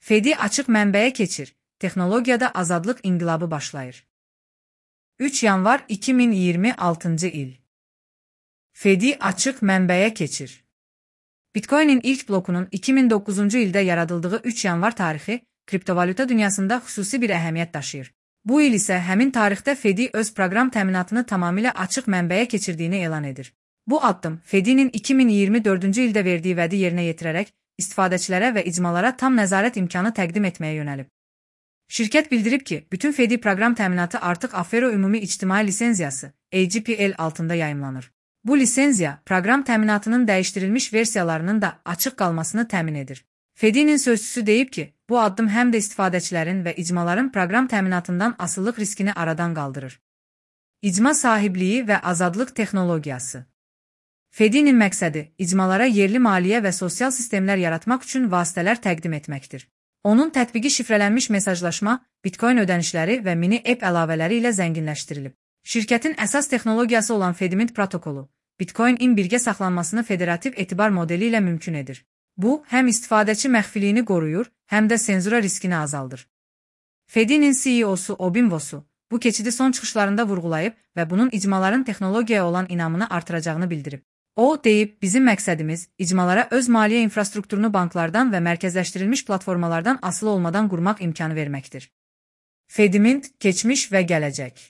FED'i açıq mənbəyə keçir. Texnologiyada azadlıq inqilabı başlayır. 3 yanvar 2026-cı il. FED'i açıq mənbəyə keçir. Bitcoin'in ilk blokunun 2009-cu ildə yaradıldığı 3 yanvar tarixi kriptovalyuta dünyasında xüsusi bir əhəmiyyət daşıyır. Bu il isə həmin tarixdə FED'i öz proqram təminatını tamamilə açıq mənbəyə keçirdiyini elan edir. Bu addım FED'nin 2024-cü ildə verdiyi vədi yerinə yetirərək istifadəçilərə və icmalara tam nəzarət imkanı təqdim etməyə yönəlib. Şirkət bildirib ki, bütün FED'i proqram təminatı artıq Affero Ümumi İctimai Lisenziyası (AGPL) altında yayımlanır. Bu lisenziya, proqram təminatının dəyişdirilmiş versiyalarının da açıq qalmasını təmin edir. FED'nin sözçüsü deyib ki, bu addım həm də istifadəçilərin və icmaların proqram təminatından asılılıq riskini aradan qaldırır. İcma sahibliyi və azadlıq texnologiyası. FED'nin məqsədi, icmalara yerli maliyyə və sosial sistemlər yaratmaq üçün vasitələr təqdim etməkdir. Onun tətbiqi şifrələnmiş mesajlaşma, Bitcoin ödənişləri və mini app əlavələri ilə zənginləşdirilib. Şirkətin əsas texnologiyası olan FEDMINT protokolu, Bitcoin-in birgə saxlanmasını federativ etibar modeli ilə mümkün edir. Bu, həm istifadəçi məxfiliyini qoruyur, həm də senzura riskini azaldır. FED'nin CEO-su Obimvosu bu keçidi son çıxışlarında vurğulayıb və bunun icmaların texnologiyaya olan inamını artıracağını bildirib. O, deyib, bizim məqsədimiz, icmalara öz maliyyə infrastrukturunu banklardan və mərkəzləşdirilmiş platformalardan asılı olmadan qurmaq imkanı verməkdir. FEDMINT, keçmiş və gələcək.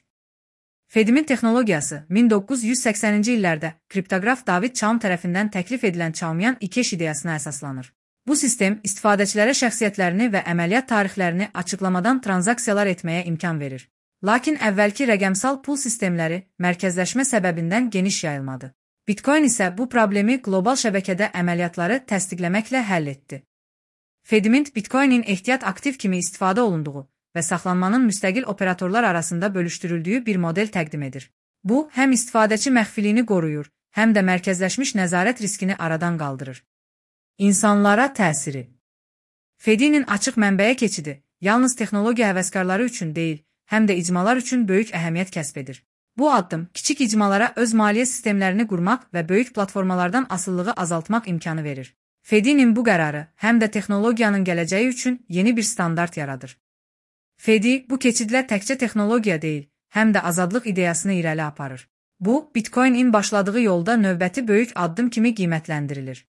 FEDMINT texnologiyası 1980-ci illərdə kriptoqraf David Chaum tərəfindən təklif edilən Chaumian 2 ideyasına əsaslanır. Bu sistem istifadəçilərə şəxsiyyətlərini və əməliyyat tarixlərini açıqlamadan tranzaksiyalar etməyə imkan verir. Lakin əvvəlki rəqəmsal pul sistemləri mərkəzləşmə səbəbindən geniş yayılmadı. Bitcoin isə bu problemi qlobal şəbəkədə əməliyyatları təsdiqləməklə həll etdi. FEDMINT Bitcoin-in ehtiyat aktiv kimi istifadə olunduğu və saxlanmanın müstəqil operatorlar arasında bölüşdürüldüyü bir model təqdim edir. Bu, həm istifadəçi məxfiliyini qoruyur, həm də mərkəzləşmiş nəzarət riskini aradan qaldırır. İnsanlara təsiri. FED'nin açıq mənbəyə keçidi yalnız texnologiya həvəskarları üçün deyil, həm də icmalar üçün böyük əhəmiyyət kəsb edir. Bu addım kiçik icmalara öz maliyyə sistemlərini qurmaq və böyük platformalardan asılılığı azaltmaq imkanı verir. FED'nin bu qərarı həm də texnologiyanın gələcəyi üçün yeni bir standart yaradır. FED bu keçidlə təkcə texnologiya deyil, həm də azadlıq ideyasını irəli aparır. Bu, Bitcoin-in başladığı yolda növbəti böyük addım kimi qiymətləndirilir.